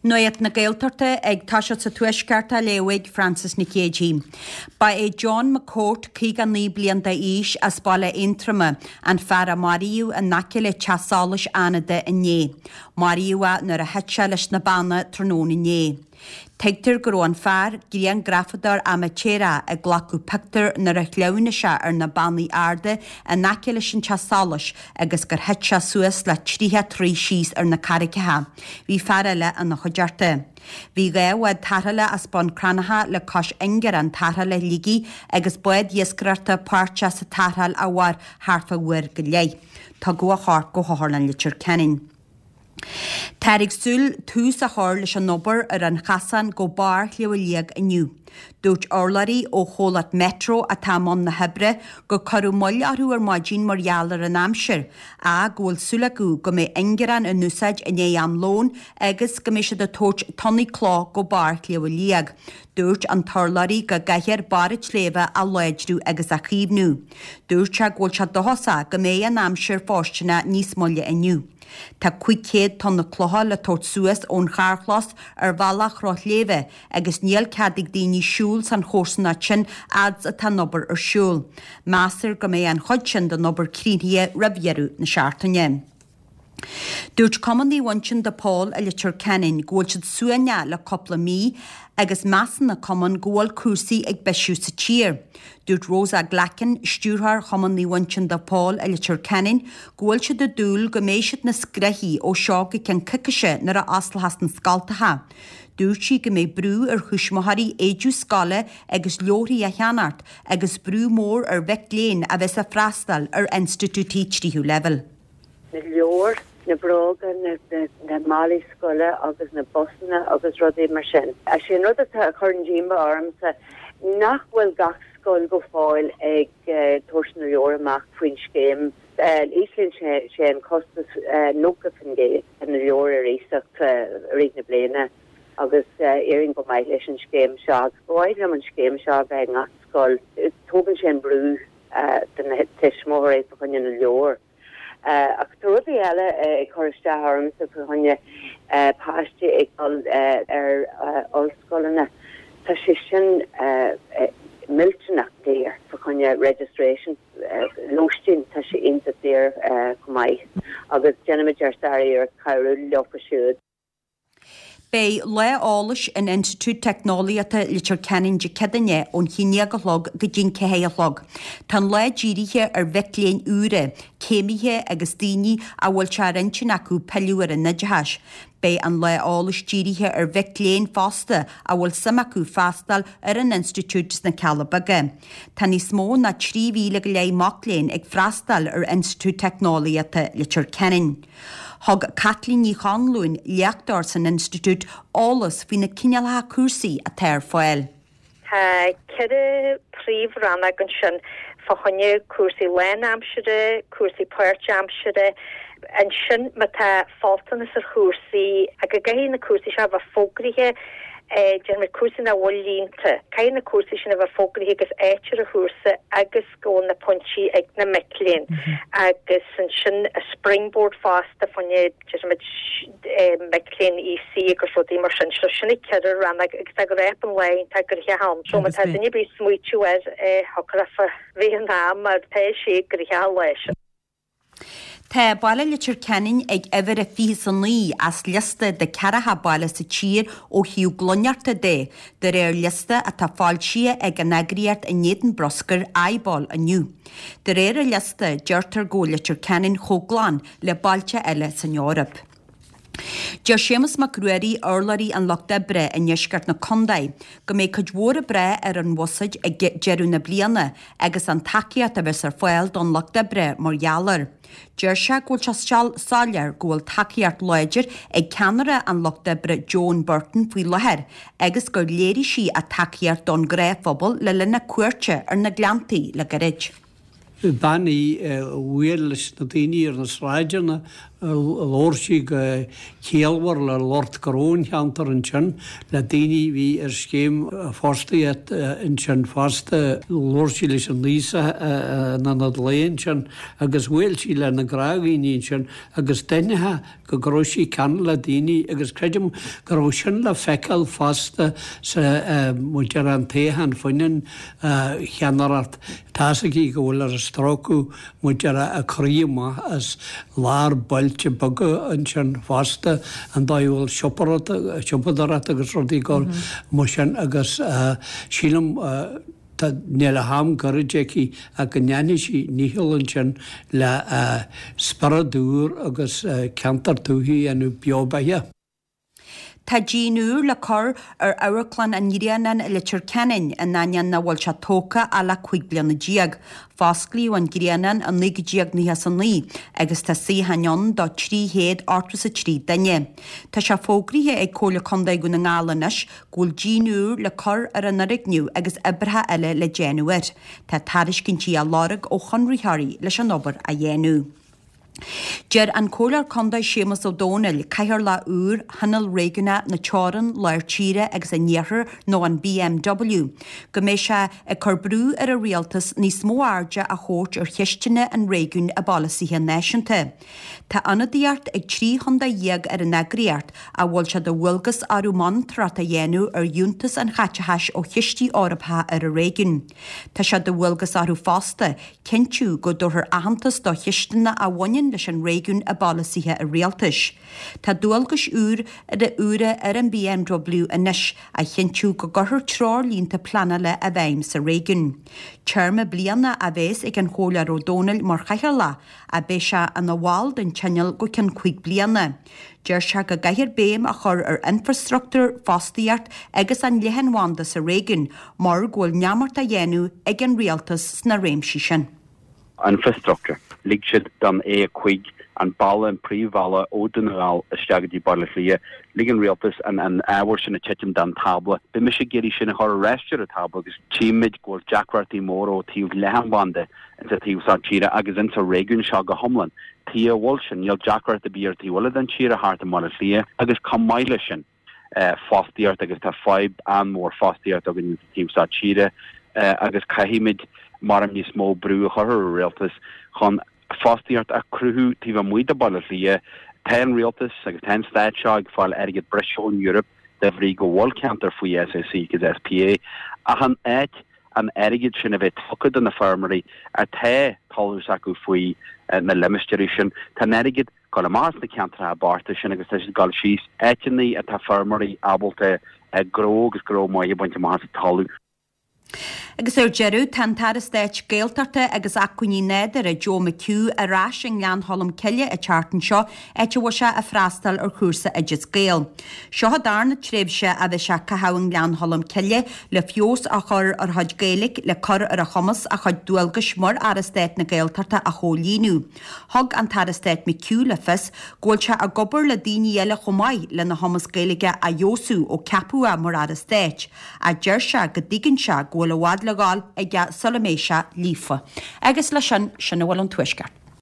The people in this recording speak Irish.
Nuacht na Gaeltachta ag toiseacht sa Tuaisceart á léamh ag Frances Nic Géadaigh. Ba é John McCourt, 59 bliain d'aois, as Baile Aontroma, an fear a maraíodh in aice le Teach Solais Fhánada inné. Maraíodh é nuair a thit sé leis na banna tráthnóna inné. Tuigtear go raibh an fear, grianghrafadóir amaitéarach, ag glacadh pictiúr nuair a shleamhnaigh sé ar na bannaí arda in aice leis an teach solais agus gur thit sé suas le 30 troigh síos ar na carraigeacha. Bhí fear eile ina chuideachta. Bhí 2 bhád tarrthála as Bun Cranncha le cois ingearán tarrthála Shligigh agus bád iascaireachta páirteach sa tarrtháil a mhair thart fá uair go leith. Tugadh a chorp go hOtharlann Leitir Ceanainn. Táthar ag súil tús a chur leis an obair ar an chasán go barr Shliabh Liag inniu. Dúirt urlabhraí ó chomhlacht Metro atá i mbun na hoibre gur cuireadh moill orthu ar maidin mar gheall ar an aimsir, ach go bhfuil súil acu go mbeidh ingearán in úsáid i ndiaidh am lóin agus go mbeidh siad ag tabhairt tonnaí cloch go barr Shliabh Liag. Dúirt an t-urlabhraí go gcaithfear barr an tsléibhe a láidriú agus a chaomhnú. Dúirt sé go bhfuil sé dóchasach go mbeidh an aimsir fóirsteanach níos moille inniu. Tá 500 tonna clocha le tabhairt suas ón charrchlós ar bhealach Chnoc Shléibhe agus níl cead ag daoine siúl san chomharsanacht sin fhad 's atá an obair ar siúl. Meastar go mbeidh an chuid sin den obair críochnaithe roimh dheireadh na seachtaine. Dúirt Cumann Naomh Uinseann de Pól i Leitir Ceanainn go bhfuil siad suaimhneach le cúpla mí agus measann an cumann go bhfuil cúrsaí ag bisiú sa tír. Dúirt Rosa Glackin, Stiúrthóir Chumann Naomh Uinseann de Pól i Leitir Ceanainn, go bhfuil siad ag dúil go mbeidh siad níos gnoithí ó seo go ceann coicíse nuair a osclóchas na scoltacha. Dúirt sí go mbeidh brú ar thuismitheoirí éide scoile agus leabharthaí a cheannacht agus brú mór ar mhic léinn a bheas ag freastal ar institiúidí tríú leibhéal. na leabhair, na bróga, na málaí scoile agus na busanna agus rudaí mar sin. Is é an rud atá a chuireann díomá ormsa nach bhfuil gach scoil go fóill ag tabhairt na leabhar amach faoin scéim. Íslíonn sé an costas 90% de na leabhair ar iasacht i rith na bliana agus éiríonn go maith leis an scéim seo agus ba mhaith liom an scéim seo a bheith i ngach scoil. Tógann sé an brú de na tuismitheoirí fá choinne na leabhar. Ach tá rudaí eile ag cur isteach ormsa fá choinne páistí ag dul ar ollscoileanna. Tá sé sin millteanach daor fá choinne registration, lóistín, tá sé iontach daor chomh maith agus déanaimid ár sár-iarracht cabhrú leofa siúd. Beidh lá eolais in Institiúid Teicneolaíochta Leitir Ceanainn Dé Céadaoine ón haon déag a chlog go dtí'n 4 a chlog. Tá an lá dírithe ar mhic léinn úra, céimithe agus daoine a bhfuil sé ar intinn acu pilleadh ar an oideachas. Beidh an lá eolais dírithe ar mhic léinn fosta a bhfuil suim acu freastal ar an institiúid sna Cealla Beaga. Tá níos mó ná 3,000 go leith mac léinn ag freastal ar Institiúid Teicneolaíochta Leitir Ceanainn. Thug Caitlín Ní Chonluain, léachtóir san Institiúid, eolas faoi na cineálacha cúrsaí atá ar fáil. Tá 4 príomh-rannóg ansin fá choinne cúrsaí lánaimsire, cúrsaí páirtaimsire. Ansin má tá faltanas ar chúrsaí, go gcaithfidh na cúrsaí seo a bheith fógraithe, déarfaimid cúrsaí nach bhfuil líonta, caithfidh na cúrsaí sin a bheith fógraithe agus áit ar an chúrsa agus go bhfuil na pointí ag na mic léinn agus ansin springboard fosta fá choinne déarfaimid mic léinn EC agus rudaí mar sin. So sin na ceithre rannóg agus tá go raibh an lá iontach gnoitheach ann. So má tá duine ar bith ag smaoitiú air shocrófa roimh an am mar tá sé gnoitheach an lá sin. Tá baile Leitir Ceanainn ag uimhir a 29 as liosta de 40 baile sa tír ó thaobh glaineachta de, de réir liosta atá foilsithe ag an eagraíocht in éadan bruscair, IBOL, inniu. De réir an liosta, deirtear go bhfuil Leitir Ceanainn chomh glan le bailte eile san Eoraip. Deir Séamus Mac Ruairí, urlabhraí an Lucht Oibre i ndeisceart na condae, go mbeidh cuid mhór ag brath ar an bhuiséad ag deireadh na bliana agus an tacaíocht a bheas ar fáil don Lucht Oibre mar gheall air. Deir sé go bhfuil sé soiléir go bhfuil tacaíocht láidir ag ceannaire an Lucht Oibre Joan Burton faoi láthair agus gur léirigh sí a tacaíocht don ghnáthphobal le linn a cuairte ar na Gleanntaí le gairid. Bean í a bhuail leis na daoine ar na sráideanna. Labhair sí go ciallmhar le lucht gnó an cheantair ansin, le daoine a bhí ar scéim fostaíochta ansin fosta. Labhair sí leis an aosach in ionad lae ansin agus bhuail sí le na gnáthdhaoine ansin agus d'aithneofá go go raibh sí ceanúil le daoine agus creidim go raibh sin le feiceáil fosta sa mar a déarfá an toghchán fá choinne an cheannaireacht. Tá's aici go bhfuil ar stróiceadh mar a déarfá a croí amach as lár bailte beaga ansin fosta, an dóigh a bhfuil siopadóireacht agus rudaí ag dul mar sin agus sílim tá, níl ach am gairid aici ach go ndéanfaidh sí a ndícheall ansin le spiorad úr agus ceantar tuaithe a dhéanamh beo beatha. Tá díon úr le cur ar Amharclann an Ghrianáin i Leitir Ceanainn, in ainneoin nach bhfuil sé tógtha ach le 15 bliana. Fosclaíodh an Grianán i 1999 agus tá suíocháin ann do 383 duine. Tá sé fógraithe ag Comhairle Contae Dhún na nGall anois go bhfuil díon úr le cur ar an fhoirgneamh agus oibreacha eile le déanamh air. Tá tairiscintí á lorg ó chonraitheoirí leis an obair a dhéanamh. Deir an Comhairleoir Contae Séamus Ó Domhnaill, Cathaoirleach úr Thionól Réigiúnach na Teorann, Lár Tíre agus an Iarthair nó an BMW, go mbeidh sé ag cur brú ar an Rialtas níos mó airde a thabhairt ar cheisteanna an réigiúin i bpolasaithe náisiúnta. Tá ionadaíocht ag 13 chontae ar an eagraíocht, a bhfuil sé de dhualgas orthu monatóireacht a dhéanamh ar fhiúntas an chaiteachais ó chistí Eorpacha ar an réigiún. Tá sé de dhualgas orthu fosta cinntiú go dtabharfar aitheantas do cheisteanna a bhaineann leis an réigiún i bpolasaithe an rialtais. Tá dualgais úra ar an BMW anois a chinntiú go gcuirfear treoirlínte pleanála i bhfeidhm sa réigiún. Téarma bliana a bheas ag an Chomhairleoir Ó Domhnaill mar chathaoirleach, ach beidh sé ina bhall den Tionól go ceann 5 bliana. Deir sé go gcaithfear béim a chur ar infreastruchtúr, fostaíocht agus an leathanbhanda sa réigiún mar go bhfuil neamart á dhéanamh ag an rialtas sna réimsí sin. Infrastructure. Lig siad don A5, an bealach, an príomhbhealach ó Dún na nGall isteach go dtí Baile Átha Cliath, lig an rialtas an an ábhar sin a titim den tábla. Beidh mise ag iarraidh sin a chur ar ais ar an tábla agus tchímid go bhfuil deacrachtaí móra ó taobh leathanbhanda insa taobh seo tíre agus insa réigiún seo go hiomlán. Taobh a bhfuil sin, níl deacracht ar bith ar taobh eile den tír thart i mBaile Átha Cliath agus chomh maith leis sin, fostaíocht agus tá fadhb an-mhór fostaíocht againn insa taobh seo tíre agus caithfimid maram níos mó brú a chur ar an rialtas chun fostaíocht a chruthú taobh amuigh de Bhaile Átha Cliath. Tá an rialtas agus tá an stát seo ag fáil airgead breise ón Eoraip de bhrí go bhfuil ceantar faoi SAC agus SPA ach in áit an airgead sin a bheith tugtha do na feirmeoirí atá talamh s'acu faoi na limistéirí sin. Tá an airgead ag dul amach as na ceantracha bochta sin agus tá siad ag dul síos áiteanna atá feirmeoirí ábalta gnó agus gnó maith a bhaint amach as an talamh. Agus ar deireadh, tá an tAire Stáit Gaeltachta agus Acmhainní Nádúrtha, Joe McHugh, ar ais i nGleann Cholm Cille an tseachtain seo, áit a bhfuil sé ag freastal ar chúrsa Oideas Gael. Seo an darna tréimhse a bheidh sé ag caitheamh i nGleann Cholm Cille le feabhas a chur ar a chuid Gaeilge le cur ar a chumas a chuid dualgais mar Aire Stáit na Gaeltachta a chomhlíonadh. Thug an tAire Stáit McHugh le fios go bhfuil sé ag obair le daoine eile chomh maith lena chumas Gaeilge a fheabhsú ó ceapadh é mar Aire Stáit, ach deir sé go dtuigeann sé go bhfuil i bhfad le dhul aige sula mbeidh sé líofa. Agus leis sin, sin a bhfuil ón Tuaisceart.